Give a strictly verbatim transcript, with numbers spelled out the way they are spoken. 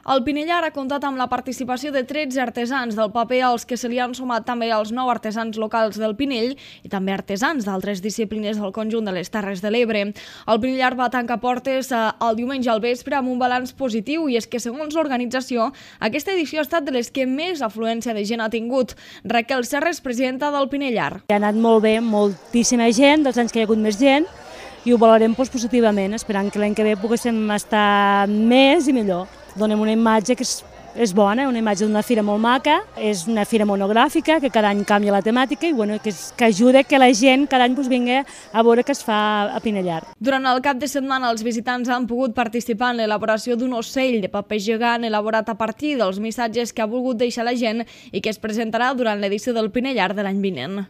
El Pinellar ha comptat amb la participació de tretze artesans del paper, als que se li han sumat també els nou artesans locals del Pinell i també artesans d'altres disciplines del conjunt de les Terres de l'Ebre. El Pinellar va tancar portes el diumenge al vespre amb un balanç positiu, i és que, segons l'organització, aquesta edició ha estat de les que més afluència de gent ha tingut. Raquel Serres, presidenta del Pinellar. Ha anat molt bé, moltíssima gent, dels anys que hi ha hagut més gent, i ho valorem doncs, positivament, esperant que l'any que ve poguéssim estar més i millor. Donem una imatge que és, és bona, una imatge d'una fira molt maca, és una fira monogràfica que cada any canvia la temàtica i bueno, que, és, que ajuda que la gent cada any doncs, vingui a veure què es fa a Pinellar. Durant el cap de setmana els visitants han pogut participar en l'elaboració d'un ocell de paper gegant elaborat a partir dels missatges que ha volgut deixar la gent i que es presentarà durant l'edició del Pinellar de l'any vinent.